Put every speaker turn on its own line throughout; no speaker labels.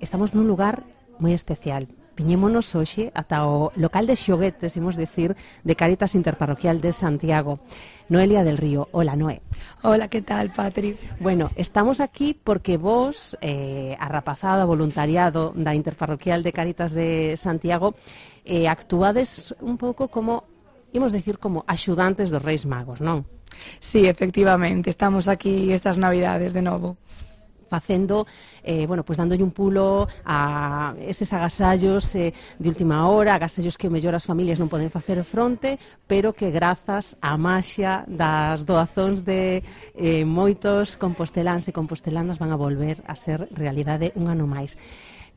Estamos nun lugar moi especial. Viñémonos hoxe ata o local de xoguetes, imos dicir, de Cáritas Interparroquial de Santiago. Noelia del Río. Hola, Noé.
Hola, que tal, Patri?
Bueno, estamos aquí porque vos, a rapazada, voluntariado da Interparroquial de Cáritas de Santiago, actuades un pouco como, imos dicir, como axudantes dos Reis Magos, non?
Sí, efectivamente, estamos aquí estas Navidades de novo.
Facendo, bueno, pues dándolle un pulo a eses agasallos de última hora, agasallos que mellor as familias non poden facer fronte, pero que grazas á maxia das doazóns de moitos composteláns e compostelanas van a volver a ser realidade un ano máis.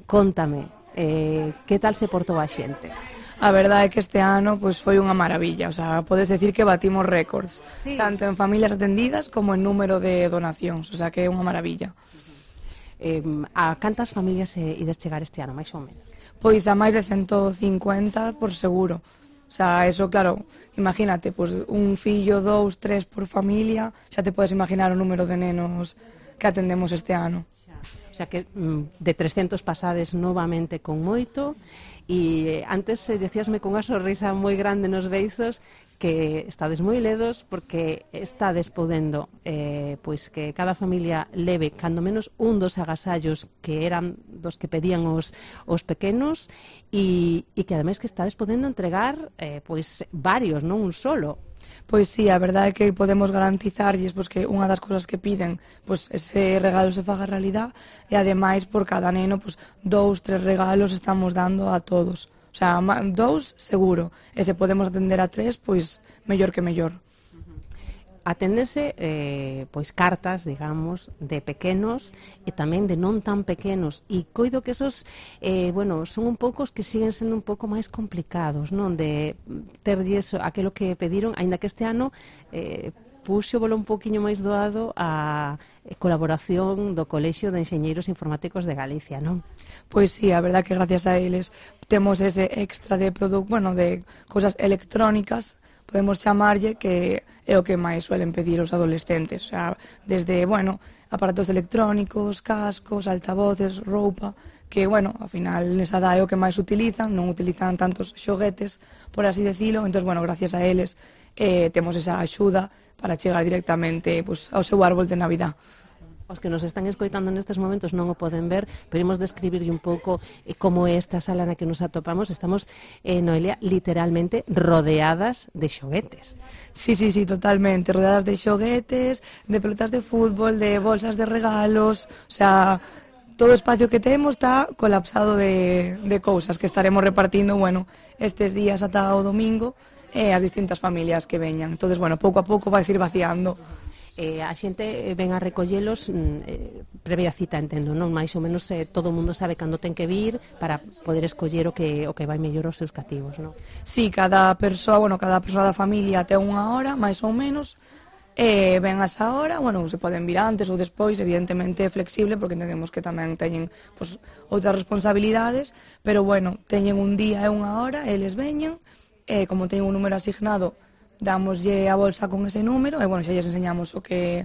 Cóntame, que tal se portou a xente?
A verdade é que este ano pues, foi unha maravilla, o sea, podes decir que batimos récords, sí, tanto en familias atendidas como en número de donacións, o sea, que é unha maravilla.
A cantas familias ides chegar este ano, máis ou menos?
Pois a máis de 150 por seguro. O sea, eso, claro, imagínate, pues, un fillo, 2, 3 por familia, xa te podes imaginar o número de nenos que atendemos este ano.
O sea que de 300 pasades novamente con moito, e antes decíasme con unha sonrisa moi grande nos beizos que estades moi ledos porque estades podendo pois que cada familia leve cando menos un dos agasallos que eran dos que pedían os pequenos, e que ademais que estades podendo entregar pois varios, non un solo.
Pois sí, a verdade é que podemos garantizarlles pois, que unha das cousas que piden pois, ese regalo se faga realidad, e ademais por cada neno 2, 3 regalos estamos dando a todos. O sea, 2 seguro, e se podemos atender a 3, pois mellor que mellor.
Aténdese pois cartas, digamos, de pequenos e tamén de non tan pequenos, e coido que esos bueno, son un pouco os que siguen sendo un pouco máis complicados, non, de terlles aquilo que pediron, aínda que este ano puxo bolo un poquinho máis doado a colaboración do Colexio de Enxeñeiros Informáticos de Galicia, non?
Pois sí, a verdade que gracias a eles temos ese extra de bueno, de cousas electrónicas, podemos chamarlle, que é o que máis suelen pedir os adolescentes, o sea, desde, bueno, aparatos electrónicos, cascos, altavoces, roupa, que, bueno, ao final nesa edad é o que máis utilizan, non utilizan tantos xoguetes, por así decirlo, entón, bueno, gracias a eles temos esa axuda para chegar directamente pues, ao seu árbol de Navidad.
Os que nos están escoitando nestes momentos non o poden ver, pero imos describirlle un pouco como é esta sala na que nos atopamos. Estamos, Noelia, literalmente rodeadas de xoguetes.
Sí, totalmente, rodeadas de xoguetes, de pelotas de fútbol, de bolsas de regalos, o sea, todo o espacio que temos está colapsado de cousas que estaremos repartindo, bueno, estes días ata o domingo, as distintas familias que veñan. Entonces, bueno, pouco a pouco vais ir vaciando.
A xente ven a recollelos previa cita, entendo, non? Mais ou menos todo o mundo sabe cando ten que vir para poder escoller o que vai mellor aos seus cativos, non?
Sí, cada persoa da familia ten unha hora, máis ou menos, ven a esa hora, bueno, se poden vir antes ou despois, evidentemente é flexible, porque entendemos que tamén teñen pues, outras responsabilidades, pero bueno, teñen un día e unha hora, eles veñen, como teñen un número asignado, damoslle a bolsa con ese número e, bueno, xa lles enseñamos o que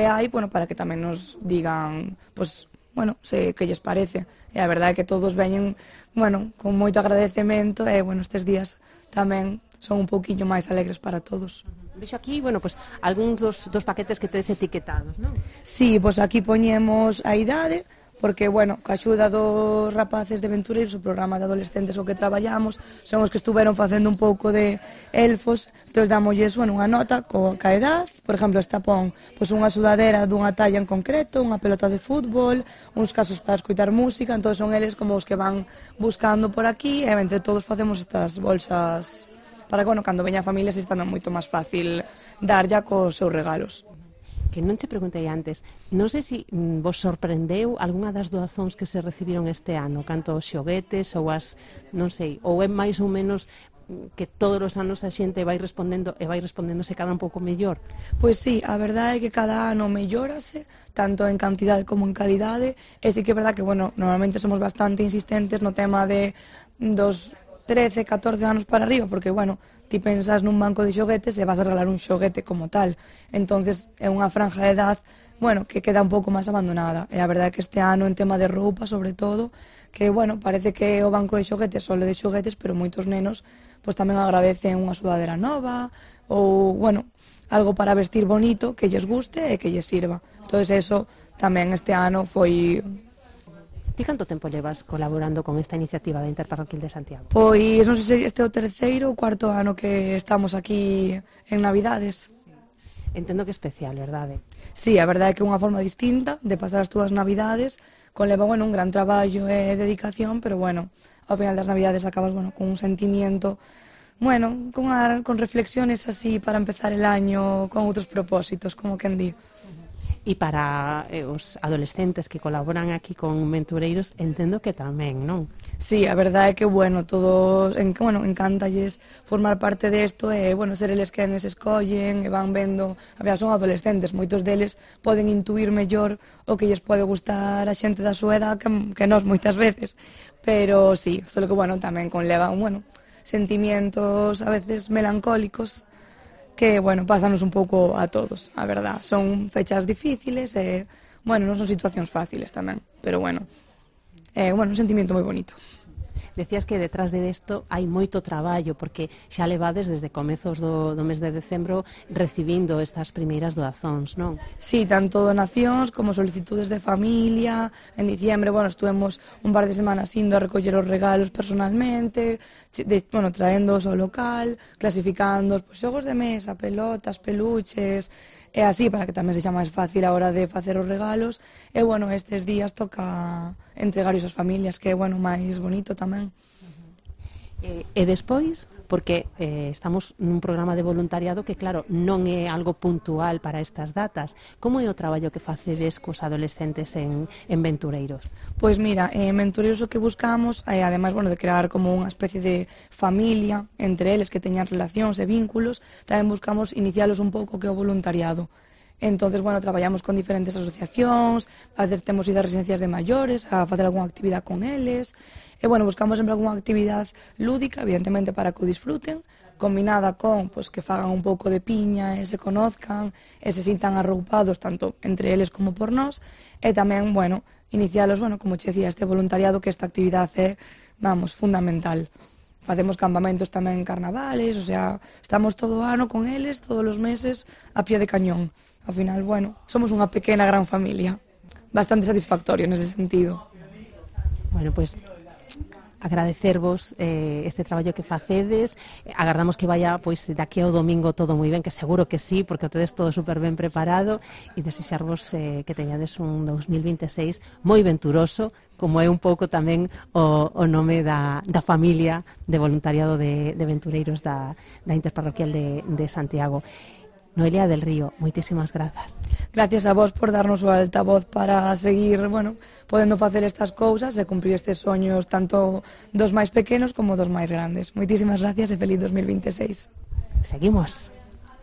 hai, bueno, para que tamén nos digan, pues, bueno, que lles parece. E a verdade é que todos veñen, bueno, con moito agradecemento e, bueno, estes días tamén son un pouquiño máis alegres para todos.
Vexo aquí, bueno, pues, algúns dos paquetes que tedes etiquetados, non?
Sí, pues aquí poñemos a idade, porque, bueno, ca axuda dos rapaces de Aventureiros, o programa de adolescentes o que traballamos, son os que estuveron facendo un pouco de elfos, entón damolles, bueno, unha nota ca edad, por exemplo, esta pon pois, unha sudadera dunha talla en concreto, unha pelota de fútbol, uns casos para escoitar música, entón son eles como os que van buscando por aquí, e entre todos facemos estas bolsas para que, bueno, cando veña a familia se está moito máis fácil dar ya cos seus regalos.
Que non te preguntei antes, non sei se vos sorprendeu algunha das doazóns que se recibiron este ano, canto os xoguetes ou as, non sei, ou é máis ou menos que todos os anos a xente vai respondendo e vai respondéndose cada un pouco mellor?
Pois sí, a verdade é que cada ano mellórase, tanto en cantidade como en calidade, e sí que é verdade que, bueno, normalmente somos bastante insistentes no tema de dos 13, 14 anos para arriba, porque, bueno, ti pensas nun banco de xoguetes e vas a regalar un xoguete como tal. Entonces é unha franja de edad bueno, que queda un pouco máis abandonada. E a verdade é que este ano, en tema de roupa, sobre todo, que, bueno, parece que o banco de xoguetes só de xoguetes, pero moitos nenos pois tamén agradecen unha sudadera nova ou, bueno, algo para vestir bonito, que lles guste e que lles sirva. Entón, eso tamén este ano foi...
Ti canto tempo levas colaborando con esta iniciativa da Interparroquial de Santiago?
Pois non sei se este é o terceiro ou cuarto ano que estamos aquí en Navidades.
Entendo que é especial, verdade?
Sí, a verdade é que é unha forma distinta de pasar as túas Navidades, conleva, bueno, un gran traballo e dedicación, pero, bueno, ao final das Navidades acabas, bueno, con un sentimiento, bueno, con reflexiones así para empezar el año con outros propósitos, como quen di.
E para os adolescentes que colaboran aquí con Ventureiros, entendo que tamén, non?
Sí, a verdade é que, bueno, todos, encántalles formar parte desto e, bueno, ser eles quenes escollen e van vendo, a ver, son adolescentes, moitos deles poden intuir mellor o que lles pode gustar a xente da súa edad que nós moitas veces, pero sí, só que, bueno, tamén conlevan, bueno, sentimientos a veces melancólicos que, bueno, pásanos un pouco a todos, a verdad. Son fechas difíciles e, bueno, non son situacións fáciles tamén, pero, bueno, un sentimento moi bonito.
Decías que detrás de isto hai moito traballo, porque xa levades desde comezos do mes de decembro recibindo estas primeiras doazóns, non?
Sí, tanto donacións como solicitudes de familia. En diciembre, bueno, estuvemos un par de semanas indo a recoller os regalos personalmente, bueno, traéndoos ao local, clasificando pues, xogos de mesa, pelotas, peluches, e así, para que tamén sexa máis fácil a hora de facer os regalos. E, bueno, estes días toca entregar ás familias, que é, bueno, máis bonito tamén.
E despois, porque estamos nun programa de voluntariado que, claro, non é algo puntual para estas datas. Como é o traballo que facedes cos adolescentes en Ventureiros?
Pois mira, en Ventureiros o que buscamos, ademais, bueno, de crear como unha especie de familia entre eles que teñan relacións e vínculos, tamén buscamos inicialos un pouco que o voluntariado. Entonces, bueno, traballamos con diferentes asociacións, a veces temos ido a residencias de maiores a facer algunha actividade con eles, e, bueno, buscamos sempre algunha actividade lúdica, evidentemente para que o disfruten, combinada con, pues, que fagan un pouco de piña e se conozcan, e se sintan arroupados tanto entre eles como por nós, e tamén, bueno, inicialos, bueno, como che decía, este voluntariado, que esta actividade é, vamos, fundamental. Facemos campamentos tamén en carnavales, o sea, estamos todo o ano con eles, todos os meses, a pie de cañón. Ao final, bueno, somos unha pequena gran familia. Bastante satisfactorio nese sentido.
Bueno, pois, agradecervos este traballo que facedes. Agardamos que vaya, pois, daqui ao domingo todo moi ben, que seguro que sí, porque o tedes todo super ben preparado, e desexarvos que teñades un 2026 moi venturoso, como é un pouco tamén o nome da familia de voluntariado de Ventureiros da Interparroquial de Santiago. Noelia del Río, moitísimas grazas.
Gracias a vos por darnos o altavoz para seguir, bueno, podendo facer estas cousas e cumprir estes soños tanto dos máis pequenos como dos máis grandes. Moitísimas gracias e feliz 2026.
Seguimos.